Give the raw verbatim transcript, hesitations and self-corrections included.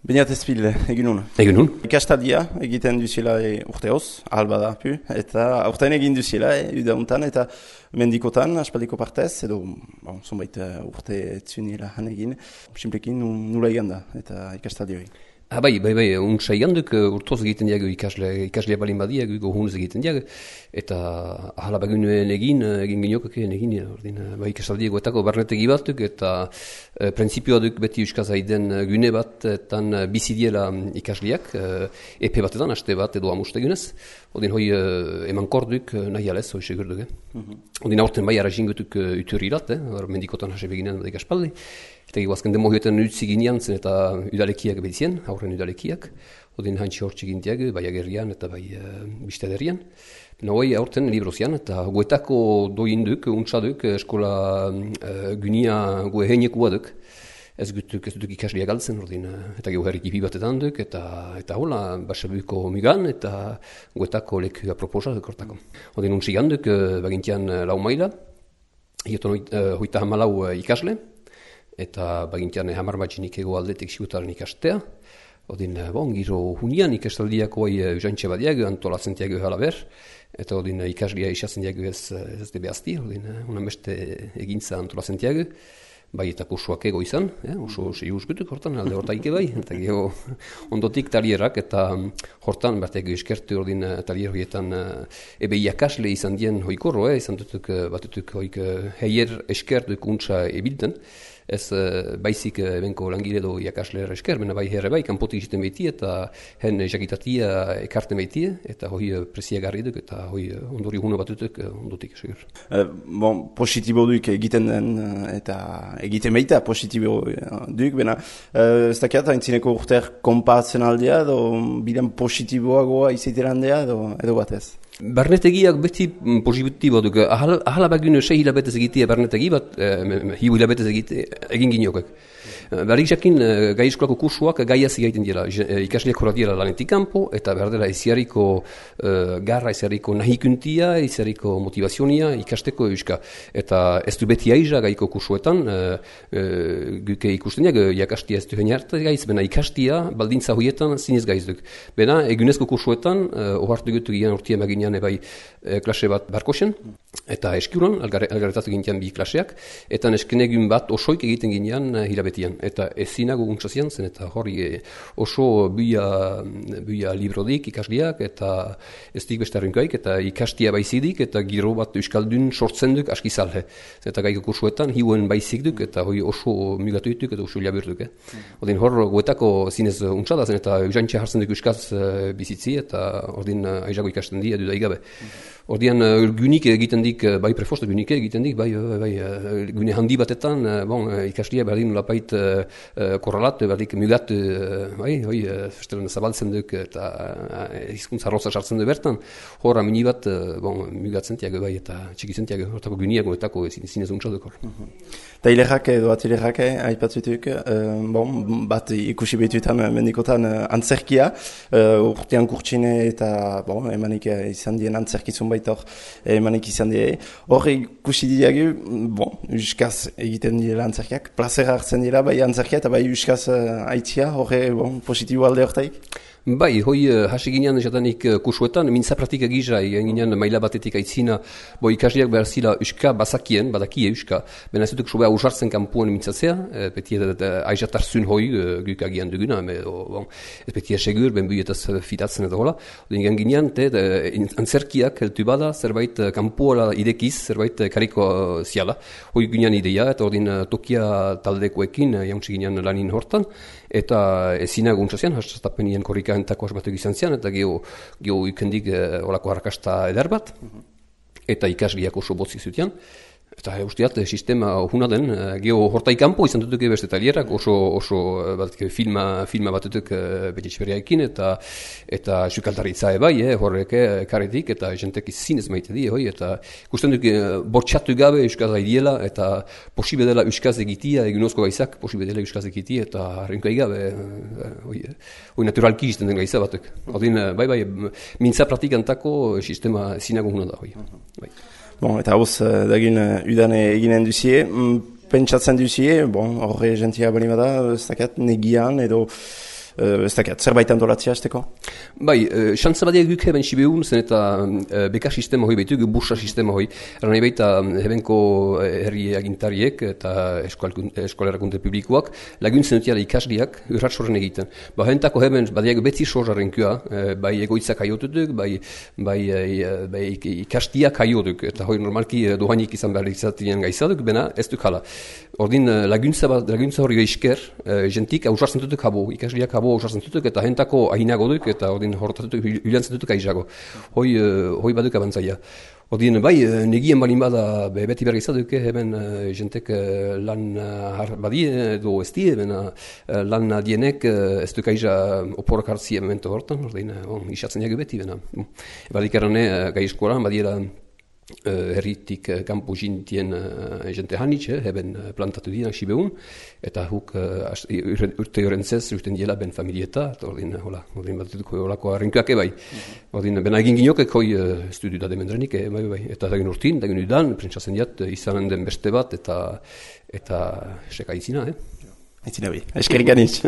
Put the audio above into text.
Beniat ezpil, eginun. Eginun. Ikastaldia egiten duzila e, urteoz, alba da, pu, eta aurten egin duzila, e, udauntan, eta mendikotan, aspaldiko partez, edo, bon, zonbait urte etzunila han egin, simplekin nula egan da, eta ikastaldi hori. Ah, bai, bai, bai, untsa janduk urtoz egiten diago ikasle, ikaslea balin badiak, gohunez egiten diago, eta ahala bagunuen egin, egin ginokak egin, ordin, bai ikastaldiagoetako barnetegi batuk, eta e, printzipioa duk beti euskaz aiden gune bat, etan bizidiela ikasliak, e, epe batetan, aste bat edo amustegunez, ordin hoi e, eman korduk nahi alez, hoi segurduk, eh? Mm-hmm. Ordin aurten bai arazingutuk uturirat, eh? Mendikotan hase beginen badik aspaldi, eta guazken demo hioetan utzi ginean zen eta udalekiak bedizien, aurren udalekiak, odin hantxe hortxe gintiak, bai agerrian eta bai uh, bistederian. Nahoi aurten librozian, eta guetako doinduk, untsaduk, eskola uh, gunia gue heinekua duk, ez gutuk, ez duk ikasliak galtzen, ordin, uh, eta gehu herrikipi batetan duk, eta, eta hola, basabuko migan, eta guetako leku aproposa duk hortako. Odin untsi ganduk, uh, bagintian uh, lau maila, hioton uh, hoita hamalau uh, ikasle, eta bagintian hamar matxinik ego aldetik sigutaren ikastea. Odin, bon, giro hunian ikastaldiako hai usantxe badiak, antolatzen diago halaber, eta odin ikaslia isatzen diago ez, ez debe azti, odin, unan beste egintza antolatzen diago, bai eta kursuak ego izan, eh, oso sei usgutuk hortan, alde hortaike bai, eta geho ondotik talierak, eta hortan, berteko eskertu ordin talier horietan ebe iakasle izan dien hoikorro, eh, izan dutuk batutuk hoik heier eskertuk untsa ebilten, ez uh, baizik uh, benko langile edo iakasle esker, bena bai herre bai, kanpotik izten behiti eta hen jakitatia ekarten behiti, eta hoi uh, presiagarri duk, eta hoi uh, ondori huno batutuk uh, ondotik esker. Uh, bon, positibo duk egiten den, uh, eta egiten behita positibo uh, duk, bena uh, ez dakiat, haintzineko urter konpatzen aldea, edo bidan positiboagoa izaiteran dea, edo, edo batez? Barnetegiak beti positibo duk. Ahal, ahala bagune sei hilabetez egitea barnetegi bat, eh, hiu hilabetez egite egin ginokak. Berrik jakin gai eskolako kursuak gaiaz egiten dira. Ikasleak horra dira lanetik kanpo, eta behar dela iziariko uh, garra, iziariko nahikuntia, iziariko motivazionia ikasteko euska. Eta ez du beti aiza gaiko kursuetan, uh, uh, guke ikusten diak, jakastia ez du heniarta gaiz, bena ikastia baldintza hoietan zinez gaiz duk. Bena egunezko kursuetan, uh, ohartu gutu gian urtia maginean ebai uh, klase bat barkosen, eta eskiuran, algarretatu gintian bi klaseak, eta eskenegun bat osoik egiten ginean uh, hilabetian. Eta ezinago guntzazian zen, eta hori e, oso buia, buia librodik ikasliak, eta ez dik beste arrinkoaik, eta ikastia baizidik, eta giro bat euskaldun sortzen duk askizalhe. Eta gaiko kursuetan hiuen baizik duk, eta hori oso mugatu dituk, eta oso labur duk. Eh? Mm. Ordin hor goetako zinez untsada zen, eta eusantxe hartzen duk euskaz uh, bizitzi, eta ordin uh, aizago ikasten di, edu daigabe. Mm. Ordian, uh, gunik egiten dik, bai prefosta gunik egiten dik, bai, bai, bai uh, gune handi batetan, uh, bon, uh, ikaslia berdin lapait uh, uh, korrelat, berdik mugat, uh, bai, hoi, uh, festelen zabaltzen duk, eta uh, hizkuntza roza sartzen du bertan, horra mini bat, uh, bon, mugatzen tiago, bai, eta txikitzen tiago, hortako guniak, hortako zinez untsa duk hor. Eta hilerrak edo atilerrak, aipatzutuk, uh, bon, bat ikusi behituetan, mendikotan uh, antzerkia, uh, urtean kurtsine eta, bon, emanik uh, izan dien antzerkizun baita hor, emanik izan die. Hor ikusi diagu, bon, euskaz egiten direla antzerkiak, plazera hartzen dira, bai antzerkia eta bai euskaz uh, aitzia, horre, bon, positibo alde hortaik? Bai, hoi uh, hasi ginean jatanik uh, kursuetan, mintza praktika gizra, egin ginean maila batetik aitzina, bo ikasliak behar zila euska bazakien, badakie euska, bena ez dutuk sobea usartzen kanpuan mintzatzea, uh, beti uh, aizatartzun hoi uh, guk agian duguna, me, o, bon, ez beti esegur, ben buietaz fitatzen edo hola, egin ginean, te, uh, antzerkiak heltu bada, zerbait uh, kanpuala idekiz, zerbait uh, kariko uh, ziala, hoi ginean ideia, eta ordin uh, tokia taldekoekin, uh, jauntsi ginean lanin hortan, eta ezinago untzazian, hastapenien korrika entako asmatuk izan zian, eta geho, geho ikendik e, olako harrakasta eder bat, eta ikasliak oso botzi zutian. Eta usteat, sistema huna den, geho hortai kanpo izan dutuk beste talierak, oso, oso bat, filma, filma bat dutuk betitxberiaekin, eta eta sukaltaritza ebai, eh, horrek karretik, eta jentek zinez maite di, hoi, eta ikusten duk bortxatu gabe euskaz aidiela, eta posibe dela euskaz egitia, egunozko gaizak, posibe dela euskaz egitia, eta harrenko gabe, hoi, hoi naturalki izten den gaiza batuk. Odin, bai, bai, mintza praktikantako sistema zinago huna da, hoi. Bai. Bon, eta hoz, dagin udane eginen duzie, pentsatzen duzie, bon, horre gentia bali bada, ez dakat, negian, edo ez dakit, zerbait antolatzea azteko? Bai, xantza badia guk heben sibeun, zen eta beka sistema hoi behitu, bursa sistema hoi. Erran baita hebenko herri agintariek eta eskolerakunte publikoak laguntzen dutiala ikasliak urrat sorren egiten. Ba, hentako heben badiak betzi sorraren kua, bai egoitzak aiotutuk, bai, bai, bai ikastiak aiotuk, eta hoi normalki dohainik izan behar izatien gaizaduk, bena ez duk hala. Ordin laguntza, laguntza hori esker, jentik ausartzen dutuk habo, ikasliak habo ausartzen dutuk, eta hentako ahinago duk, eta ordin horretatuk hilantzen dutuk aizago. Hoi, hoi baduk abantzaia. Ordin, bai, negien balin bada beti berri izaduk, hemen jentek lan badie edo ez die, lan adienek ez duk aiza oporak hartzi emento hortan, ordin, bon, isatzen jagu beti, bena. Badik errane, gai eskolan, badiera herritik kampo jintien jente hanitz, heben plantatu dienak sibeun, eta huk urte horentzez urten diela ben familieta, eta ordin, hola, ordin bat dutuko holako harrinkoak ebai. Ordin, bena egin ginokek hoi estudiu da demendrenik, bai, bai, eta dagin urtin, dagin udan, prentsatzen diat, izanen den beste bat, eta eta seka izina, eh? Aitzina bi, eskerik anitz.